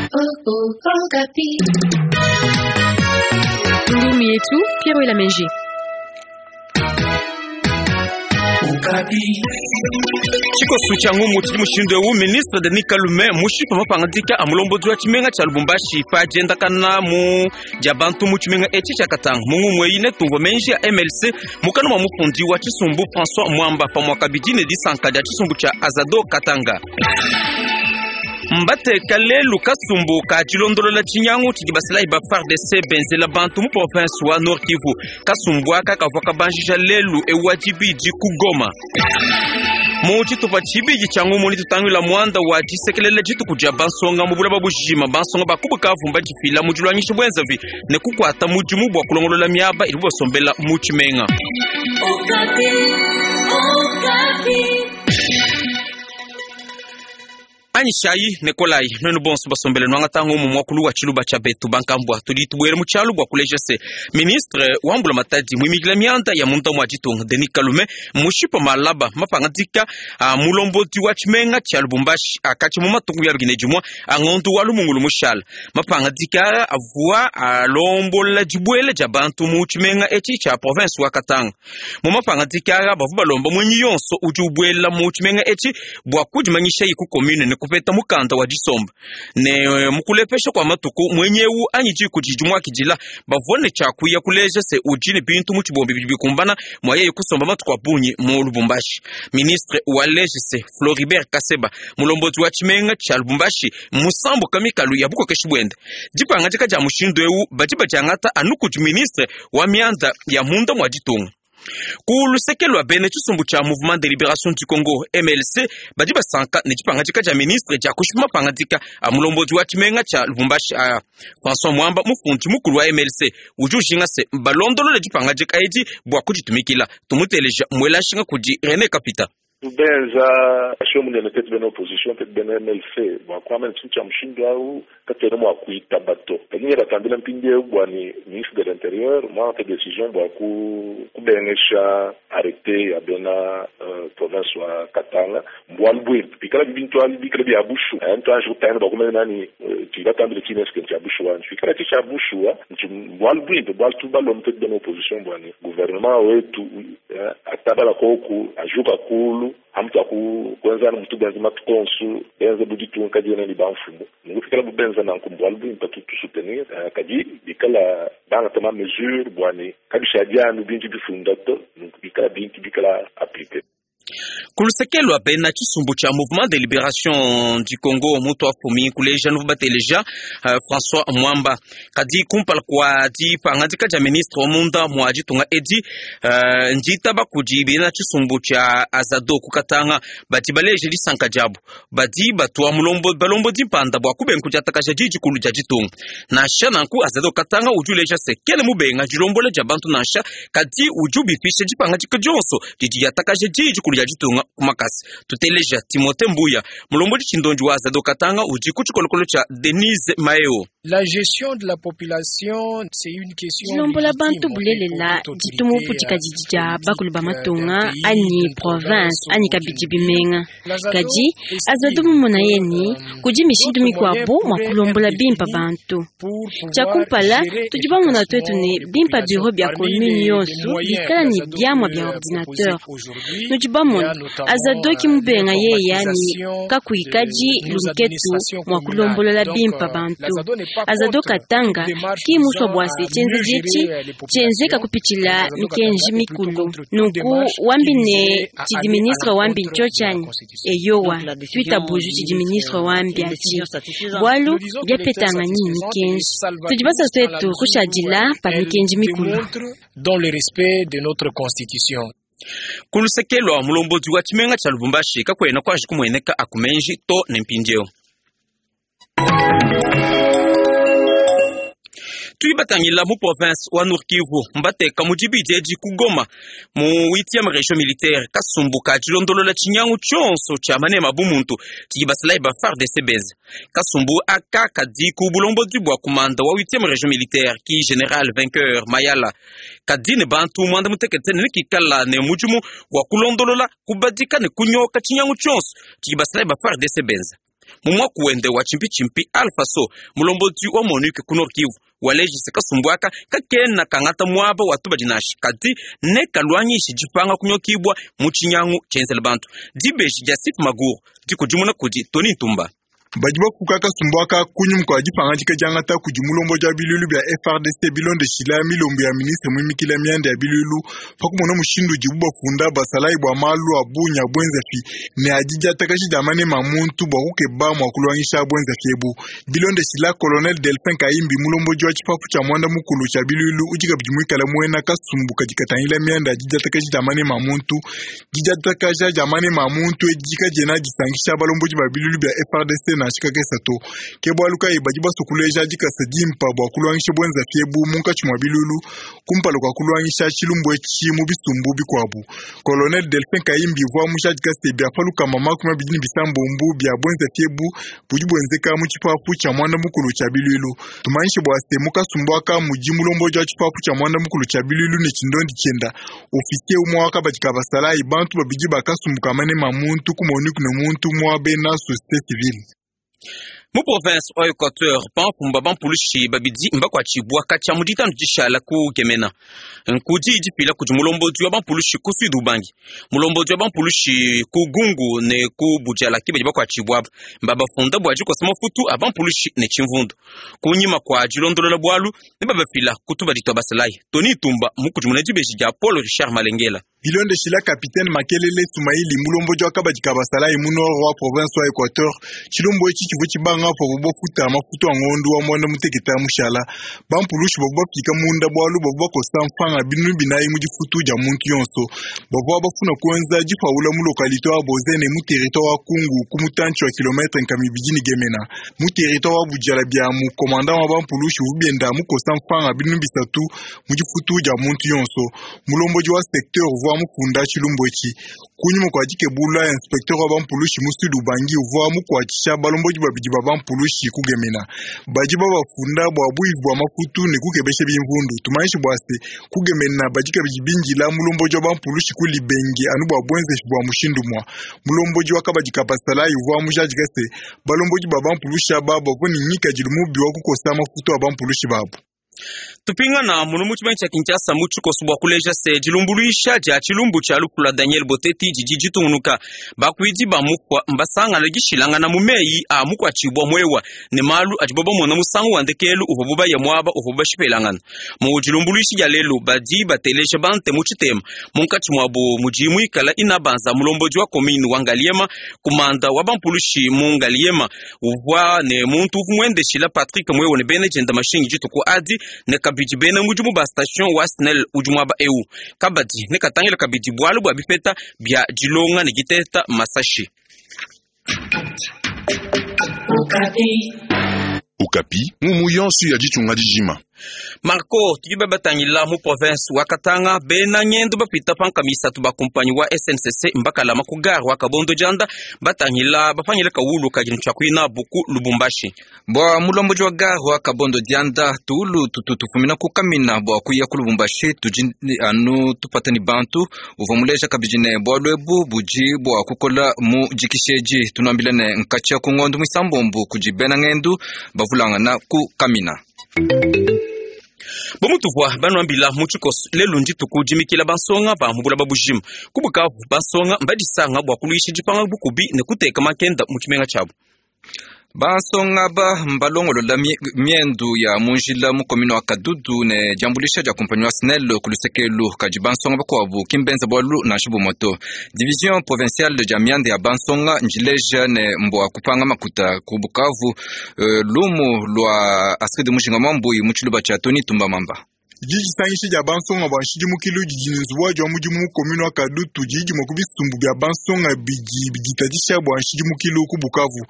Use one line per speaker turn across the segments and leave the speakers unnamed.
Ngumu yetu Pierre Elameji.
Tshikosu tshia ngumu tshidi mushindu eu ministre Denis Kalume mushipa mapangadika a mulombodi wa tshimenga tshia Lubumbashi pa diendakana mu dia bantu mu tshimenga etshi tshia Katanga. Mu ngumu eyi netumvue menji a MLC mukana mua mufundi wa tshisumbu François Mwamba pamua kabidi ne disanka dia tshisumbu tshia Azado Katanga. Mbateka lelu kasumbu ka dilondolola tshinyangu tshidi basalayi ba FARDC benzela bantu mu province wa Nord Kivu. Kasumbu aka kavua kabanjija lelu eu wa dibidi ku Goma. Mu tshitupa tshibidi tshia ngumu netutangila muanda wa disekelela dituku dia bansonga mu bulaba bujima. Bansonga ba ku Bukavu mbadifila mu diluangisha buenzavi ne kukuata mudimu bua kulongolola miaba idibu basombela mu tshimenga. Anyishayi ne kolayi nuenu bonso basombele nuangata ngumu muakulu wa tshiluba tshia betu bankambua. Tudi tubuela mu tshialu bua kuleja se ministre wa mbulamatadi muimikila mianda ya munda mua ditunga Denis Kalume mushipa malaba mapangadika a mulombodi wa tshimenga tshia Lubumbashi akatshi mu matuku ya bikine dimua a ngondu wa lumungulu mushala. Mapangadika aa avua alombola dibuela dia bantu mu tshimenga etshi tshia province wa Katanga. Mu mapangadika aa bavua balomba muenyi yonso udi ubuela mu tshimenga etshi bua kudimanyishaye ku commune ne kupeta mukanda wa disomba. Ne mu kulepesha kua matuku muenyi eu anyi diku didi muakidila bavua ne tshia kuya kuleja se udi ne bintu mu tshibombi bidi bikumbana mua yeye kusomba matuku a bungi mu Lubumbashi. Ministre waleje se Floribert Kaseba mulombodi wa tshimenga tshia Lubumbashi mmusambuka mikalu ya bukokeshi buende. Dipangadika dia mushindu eu badi badiangata anu kudi ministre wa mianda ya munda mua ditunga. Ku luseke lua bena tshisumbu tshia Mouvement de Liberation du Congo MLC badi basanka ne dipangadika dia ministre dia kushipa mapangadika a mulombodi wa tshimenga tshia Lubumbashi aa. François Mwamba mufundi mukulu wa MLC udi ujinga se balondolole dipangadika edi bua kuditumikila. Tumuteleja muela nshinga kudi Rene Kapita.
Tubenza show munene tetu bena opposition tetu bena MLC bua kuamba ne tshintu tshia mushindu au katuena mua kuitaba to. Kadi ne batambila mpindieu bua ni ministre de l'intérieur muangate decision bua kubengesha arrete ya bena province wa Katanga mbualu buimpe. Pikala bintu abi bikala bia bushuwa, ntuanji kutangila bua kumanya nani tudi batambile tshine eske ntshia bushuwa anyi? Pikala tshi tshia bushuwa mbualu buimpe, bualu tubalombe tetu bena opposition bua ni gouvernement wetu atabala koku ajuka kulu amutu aku kuenza mutu benza matuku onso benza bu ditunga kadiena ne bamfumu nunku pikala bu benza nanku mbualu buimpe tu tusoutenir kadi bikala bangata ma mesure bua ne kabishadi anu bintu bifunda to nunku bikala bintu bikala appliqué.
Ku luseke lua bena tshisumbu tshia Mouvement de Liberation du Congo mutu afumi kuleja nuvua bateleja François Mwamba. Kadi kumpala kua dipangadika dia ministre wa munda mua ditunga edi nditaba kudi bena tshisumbu tshia Azado ku Katanga badi baleja disanka diabu. Badi batua balombodi mpanda bua kubenga kudiatakaja di dikulu dia ditunga. Nansha nanku Azado Katanga udi uleja se kena mubenga dilombola dia bantu nansha, kadi udi ubipisha dipangadika dionso didi diatakaja di dikulu dia ditunga ku makasa. Tuteleja Timothée Mbuya mulombodi tshindondi wa Azado Katanga udi ku tshikolokolo tshia Denise Maeo.
La gestion de la population, c'est une question
Dilombola bantu bulelela ditumu budikadidi dia bakulu ba matunga anyi province anyi kabidi bimenga. Kadi Azado mumona yeni kudi mishindu mikuabu mua kulombola bimpa bantu. Tshia kumpala tudi bamona tuetu ne bimpa bureau bia commune yonso bikala ne biamua bia ordinateur. Nudi bamona Azado ki mubenga yeya ni kakuikadi lunketu mua kulombolola bimpa bantu. Azado Katanga ki musua bua se tshienze dietshi tshienzeka kupitshila mikenji mikulu. Nunku wambi ne tshidi ministre wambi ntsho tshianyi eyowa tuitabuju tshidi ministre wambi atshi bualu biapetanga nini mikenji tudi basua tuetu kushadila pa mikenji mikulu.
Dans le respect de notre constitution.
Ku luseke lua mulombodi wa tshimenga tshia Lubumbashi kakuena kuanji kumueneka akumenji to ne mpindieu. Tudi batangila mu province wa Nord Kivu mbateka mu dibidi edi ku Goma mu 8e region militaire kasumbu ka dilondolola tshinyangu tshionso tshia manema bu muntu tshidi basalayi ba FARDC benza. Kasumbu aka kadi ku bulombodi bua kumanda wa 8e region militaire ki general Vainqueur Mayala kadi ne bantu muanda mutekete ne kikala ne mudimu wa kulondolola kubadika ne kunyoka tshinyangu tshionso tshidi basalayi ba FARDC benza. Mu muaku wende wa tshimpitshimpi, Alpha Sow, mulombodi wa MONUC ku Nord Kivu, waleji se kasumbu aka kakena kangata muaba wa tubadi nansha, kadi nekaluangishe dipanga kunyokibua mu tshinyangu tshienzela bantu. Dibeji dia Sip Maguru dikudimuna kudi Tony Ntumba.
Badi bafuka kasumbu aka kunyima kua dipangadika diangata kudi mulombodi wa biluilu bia FARDC bilondeshila milombo ya ministre muimikila mianda ya biluilu pa kumona mushindu udibu bafunda basalayi bua malu a bungi a buenzafi ne a didiatakaji dia manema a muntu bua kukeba mua kuluangisha buenzafi ebu. Bilondeshila Colonel Delphin Kahimbi, mulombodi wa tshipapu tshia muanda mukulu tshia biluilu udi kabidi muikale muena kasumbu kadi katangila mianda ya didiatakaji dia manema a muntu, didiatakaja dia manema a muntu edi kadiena disankisha balombodi ba biluilu bia FARDC nansha kakese to. Ke bualu kayi badi basue kuleja dikasa dimpa bua kuluangisha buenzafi ebu munkatshi mua biluilu kumpala kua kuluangisha tshilumbu etshi mu bisumbu bikuabu. Colonel Delphin Kahimbi uvua mujadika se bia pa 226 bia buenzafi ebu budi buenzeka mu tshipapu tshia muanda mukulu tshia biluilu. Tumanyishe bua se mu kasumbu aka mudi mulombodi wa tshipapu tshia muanda mukulu tshia biluilu ne tshindondi tshienda officier umue wa kabadi ka basalayi, bantu babidi ba kasumbu ka manema a muntu ku MONUC ne muntu umue wa bena société civile.
Mu province wa Equateur, bamfumu ba bampulushi babidi mbakuatshibua katshia mu ditanu dishala ku Gemena. Nkudi difila kudi mulombodi wa bampulushi ku Sud Ubangi, mulombodi wa bampulushi ku Gungu ne ku Budjala ke badi bakuatshibua aba. Mbabafunda bua dikosa mafutu a bampulushi ne tshimvundu. Kunyima kua dilondolola bualu ne babafila ku tubadi tua basalayi. Tony Tumba mukudimuna dibeji dia Paul Richard Malengela.
Bilondeshila Capitaine Makelele Sumaili, mulombodi wa kabadi ka basalayi mu nord wa province wa Equateur, tshilumbu etshi tshivua tshibanga pavuabu bafuta mafutu a ngondu wa muanda mutekete mushala. Bampulushi bavua bafika munda bualu bavua bakosa mfranga 4000 mu difutu dia muntu yonso. Bavua bafuna kuenza dipawula mu localité wa Bozene mu territoire wa Kungu ku mutantshi wa kilometre 200 ne Gemena. Mu territoire wa Budjala bia mu commandant wa bampulushi uvua bienda mukosa mfranga 3000 mu difutu dia muntu yonso. Mulombodi wa secteur uvua mufunda tshilumbu etshi. Kunyima kua dikebula, inspecteur wa bampulushi mu Sud Ubangi uvua mukuatshisha balombodi babidi ba bampulushi ku Gemena. Badi babafunda bua buivi bua mafutu ne kukebesha bimvundu. Tumanyishe bua se ku Gemena badi kabidi bindila mulombodi wa bampulushi ku Libenge anu bua buenzeji bua mushindu mua. Mulombodi wa kabadi ka basalayi uvua mujadika se balombodi ba bampulushi aba bavua ne ngikadilu mubi wa kukosa mafutu a bampulushi babu.
Tupingana munu mu tshimenga tshia Kinshasa mu tshikoso bua kuleja se dilumbuluisha dia tshilumbu tshia lufu lua Daniel Boteti didi ditungunuka. Bakuidi ba mufua mbasangana dishilangana mu meyi a mukuatshibua muewa ne malu adibo bamona musangu wa ndekelu uvuabu baya muaba uvuabu bashipelangana. Mu dilumbuluishi dia lelu badi bateleja bante mu tshitema munkatshi muabu mudi muikala Inabanza mulombodi wa commune wa Ngaliema, kumanda wa bampulushi mu Ngaliema uvua ne muntu uvua muendeshila Patrick Mwewe ne bena dienda mashinyi dituku adi ne kabidi bena mudimu ba station wa SNEL udi muaba eu. Kabadi ne katangila kabidi bualu bua bipeta bia dilonga ne diteta masashi.
Okapi, ngumu yonso ya ditunga dijima.
Marco tudi babatangila mu province wa Katanga bena ngendo bapita panka misatu ba kumpanyi wa SNCC mbakalama ku gare wa Kabondo Dianda batangila bapangila kawulu kadi ntshia buku Lubumbashi.
Bua mulombodi wa gare wa Kabondo Dianda tuulu tutu tufumina ku Kamina bua kuya ku Lubumbashi tudi anu tupata ni bantu uvua muleja kabidi ne bualu ebu budi bua kukola mu dikisheji tunuambila ne nkatshia ku ngondo muisambombo kudi bena ngendu bavulangana ku Kamina.
Bomutuvua banuambila mu tshikoso lelu ndituku dimikila bansonga ba mu bulaba bujima ku Bukavu bansonga mbadisanga bua kuluisha dipanga bukubi ne kuteka makenda mu tshimenga tshiabu.
Bansonga ba mbalongolola miendu ya mu njila mu commune wa Kadudu ne diambulisha dia kumpanyi wa SNEL ku lusekelu kadi bansonga bakuabu kimbenza bualu nansha bumoto. Division provinciale dia mianda ya bansonga njileja ne mbua kupanga makuta ku Bukavu lumu lua Astrid Mujinga Mwambui mu tshiluba tshia Tony Tumba Mamba.
Dijisangisha dia bansonga bua nshidimukilu didi ne nzubu wa mudimu mu commune wa Kadutu didi dimue ku bisumbu bia bansonga bidi biditadisha bua nshidimukilu ku Bukavu.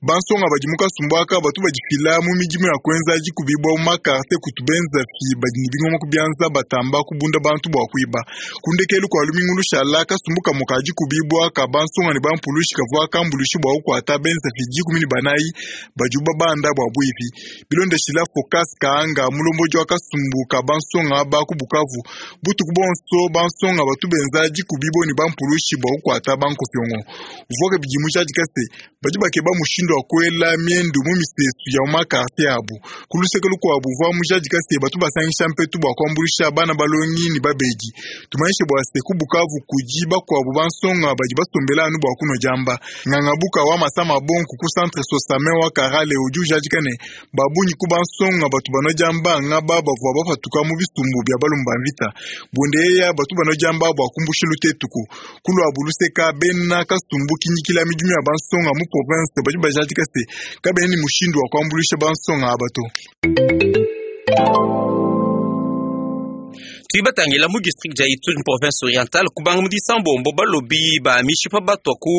Bansonga badi mu kasumbu aka batu badifila mu midimu ya kuenza dikubibua mu makarte kutu benza fi badi ne bingoma ku bianza batamba kubunda bantu bua kuiba. Ku ndekelu kua lumingu lushala kasumbu kamue ka dikubibua ka bansonga ne bampulushi kavua kambuluishi bua kukuata benza fi 14 badi babanda bua buivi. Bilondeshila Focas Kaanga mulombodi wa kasumbu ka bansonga bansonga aba ku Bukavu. Butuku bonso bansonga batu benza dikubibo ne bampulushi bua kukuata bankopiongo. Uvua kabidi mujadika se badi bakeba mushindu wa kuela miendu mu misesu ya mu makartie abu. Ku luseke lukuabu uvua mujadika se batu basangisha mpetu bua kuambuluisha bana balongi ne babedi. Tumanyishe bua se ku Bukavu kudi bakuabu bansonga badi basombela anu bua kunua diamba. Ngangabuka wa masama bonku ku centre Sosame wa Karale udi ujadika ne babunyi ku bansonga batu banua diamba ngaba bavua bapatuka mu bisumbu bia balumba mvita. Bundeya batu banua diamba bua kumbusha lutetuku. Kuluabu luseka bena kasumbu kinyikila midimu ya bansonga mu province badi bajadika se kabena ne mushindu wa kuambuluisha bansonga aba to.
Tudi batangila mu district dia Ituri mu province orientale kubanga mu disambombo balobi ba mishipa batwa ku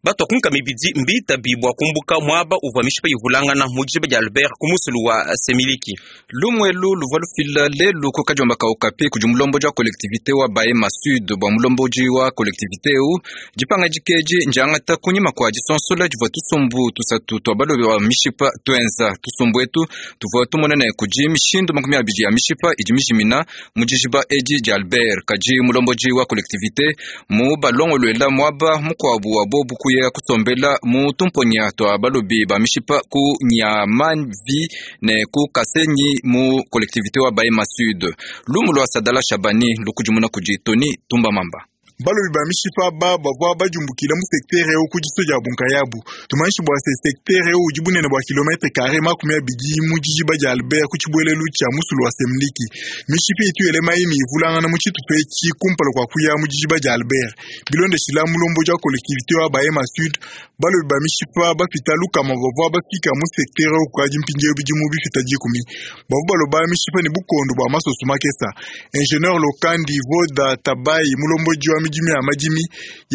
batwa ku nkama ibidi mbitabi bua kumbuka muaba uvua mishipa ivulangana mu dijiba dia Albert ku musulu wa Semiliki.
Lumwelu luvua lufila lelu ku kadiomba ka Okapi kudi mulombodi wa collectivité wa Bahema Sud bua mulombodi wa collectivité eu dipangadika edi ndiangata kunyima kua disonsola divua tusumbu tusatu tua balobi ba mishipa tuenza. Tusumbu etu tuvua tumona ne kudi mishindu 20 ya mishipa idi mijimina mu dijiba edi dia Albert. Kadi mulombodi wa collectivité mu balongoluela muaba mukuabu wa bobu kuya kusombela mu tumponya tua balobi ba mishipa ku Nyamavi ne ku Kasenyi mu collectivité wa Bahema Sud. Lumu lua Sadala Shabani lukudimuna kudi Tony Tumbamamba.
Balobi ba mishipa aba bavua bajumbukila mu secteur eu ku diso dia bunkayabu. Tumanyishi bua se secteur eu udi bunene bua kilometre carré 20 mu dijiba dia Albert ku tshibuelelu tshia musulu wa Semliki. Mishipa itu elema imi ivulangana mu tshitupa etshi kumpala kua kuya mu dijiba dia Albert. Bilondeshila mulombodi wa collectivité wa Bahema Sud, balobi ba mishipa bapita lukama bavua bafika mu secteur eu kukadi mpindieu bidimu bipita 10. Bavua baloba mishipa ne bukondo bua masoso makesa. Ingénieur Lokandi Voda Tabai mulombodi wa midimu ya madimi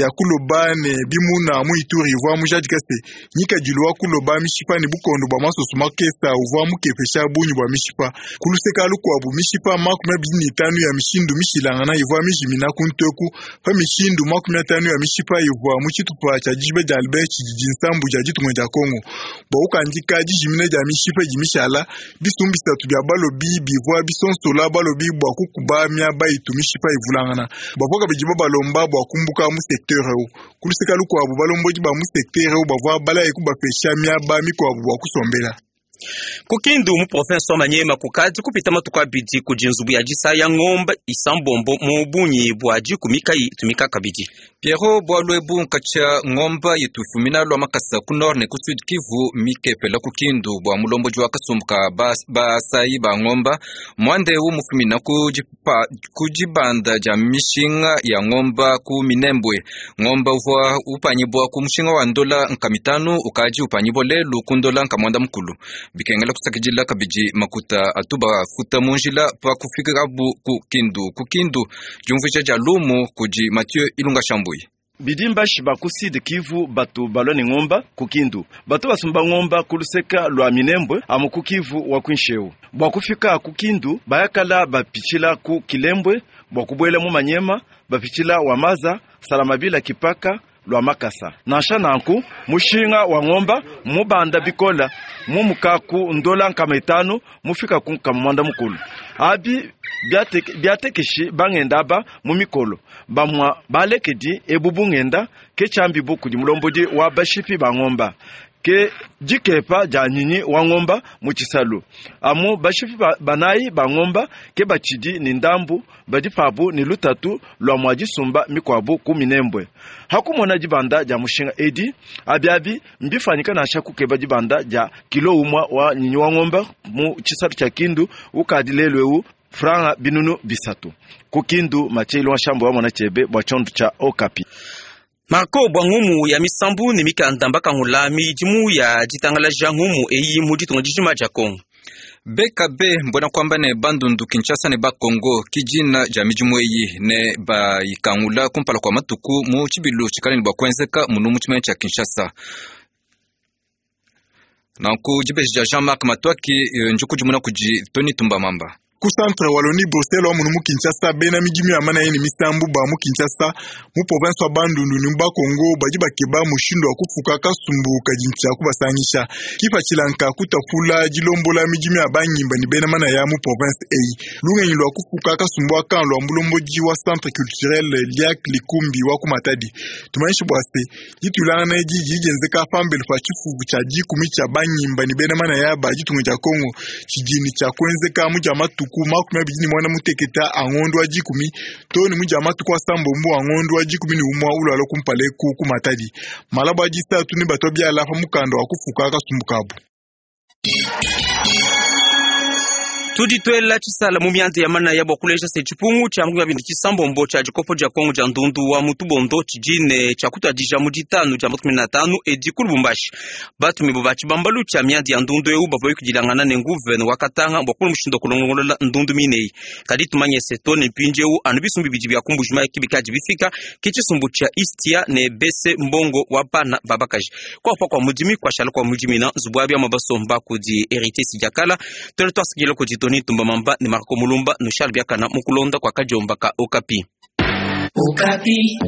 ya kuloba ne bimuna mu Ituri uvua mujadika se nyikadilu wa kuloba mishipa ne bukondo bua masoso makesa uvua mukepesha bungi bua mishipa. Ku luseka lukuabu mishipa 25 ya mishindu mishilangana ivua mijimina ku nteku pa mishindu 50 ya mishipa ivua mu tshitupa tshia dijiba dia Albert tshididi nsambu dia ditunga dia Kongo. Bua kukandika dijimina dia mishipa idi mishala, bisumbu bisatu bia balobi bivua bisonsola balobi bua kukuba miaba itu mishipa ivulangana. Bavua kabidi babalomba bua kumbuka mu secteur eu. Ku luseka lukuabu balombodi ba mu secteur eu bavua balaye kubapesha miaba mikuabu bua kusombela.
Ku Kindu mu province wa Maniema kukadi kupita matuku abidi kudi nzubu ya disaya ngombe isambombo mu bungi bua 10 kayi itumika kabidi.
Pierrot bualu ebu nkatshia ngomba yitufumina lua makasa ku nord ne ku sud Kivu mikepela ku Kindu bua mulombodi wa kasumbu ka basayi ba ngomba muanda eu mufumina ku dibanda dia mishinga ya ngomba ku Minembwe. Ngomba uvua upanyibua ku mushinga wa ndola 500 ukadi upanyibua lelu ku ndola 9. Bikengela kusakidila kabidi makuta atu bafuta mu njila pa kufikabu ku Kindu. Ku Kindu diumvuija dia lumu kudi Mathieu Ilunga Shambuyi.
Bidimbashi ba ku Sud Kivu batu balwa ne ngomba ku Kindu batu basumba ngomba ku luseka lua Minembwe amu ku Kivu wa kuinsheu bua kufika ku Kindu bayakala bapitshila ku Kilembwe bua kubuela mu Manyema bapitshila wa Maza Salamabila Kipaka lua Makasa. Nansha nanku mushinga wa ngomba mubanda bikola mumuka ku ndola 500 mufika ku 9. Abi biatekeshi bangenda aba mu mikolo bamwa balekedi ebu bungenda ke chambibu kudi mulombodi wa bashipi ba ngomba ke dikepa dia nyinyi wa ngomba mu tshisalu. Amu bashipi banayi ba ngomba ke batshidi ni ndambu badi pabu ni lutatu lua mua disumba mikuabu ku Minembwe. Hakumona dibanda dia mushinga edi abiabi mbifanyika nansha kukeba dibanda dia kilo umwa wa nyinyi wa ngomba mu tshisalu tshia Kindu ukadi lelu eu franga 300. Ku Kindu Mathieu Ilunga Shambo wa mona chebe bua tshiondo tshia Okapi.
Marco bua ngumu ya misambu ne mikanda mbakangula midimu ya ditangalaja ngumu eyi mu ditunga dijima dia Kongo.
BKB mbona kwamba ne bandundu Kinshasa ne bakongo kijina dia midimu eyi ne bayikangula kumpala kua matuku mu tshibilu tshikale ne bua kuenzeka munu mu tshimene tshia Kinshasa. Nanku dibeji dia Jean-Marc Matwaki njukudimuna kudi Tony Tumbamamba.
Ku Centre Wallonie Bruxelles wa munu mu Kinshasa, bena midimu ya manaya ne misambu ba mu Kinshasa, mu province wa Bandundu ne mu Bakongo badi bakeba mushindu wa kufuka kasumbu kadi ntshia kubasangisha. Kipatshila nka kutapula dilombola midimu ya bangimba ne bena manaya mu province eyi. Lungenyi lua kufuka kasumbu aka lua mulombodi wa Centre Culturel Liak Likumbi wa ku Matadi. Tumanyishe bua se, dituilangana edi didi dienzeka pambelu pa tshifufu tshia dikumi tshia bangimba ne bena manaya ba ditunga dia Kongo tshidi ne tshia kuenzeka mu dia matuku 25 a ngondo wa 10 to ne mu dia matuku 9 a ngondo wa 11 ulwala kumpala eku ku Matadi. Malabo a disatu ne batwa biala pa mukanda wa kufuka kasumbu kabu.
Tudi twela tshisala mu mianda ya manaya bua kuleja se tshipungu tshia makumi abidi tshisambombo tshia dikopo dia Kongo dia ndundu wa mutubondo tshidi ne tshia kutuadija mu ditanu dia makumi na tanu edi ku Lubumbashi. Batumibue ba tshibambalu tshia mianda ya ndundu eu bavua bayukidilangana ne nguvene wa Katanga bua kumona mushindu wa kulongolola ndundu mineyi. Kadi tumanye se to ne mpindieu anu bisumbu bibidi bia ku Mbuji-Mayi ke bikadi bifika, ke tshisumbu tshia Istia ne Bese Mbongo wa bana ba bakaji. Kuapa kua mudimi kuashala kua mudimina nzubu wa biamua basomba kudi Heritier Sidiakala. Tuele tuasakidila kudi Tony Tumba Mamba ne Marco Mulumba nushale biakana mu kulonda kua kadiomba ka Okapi.
Okapi.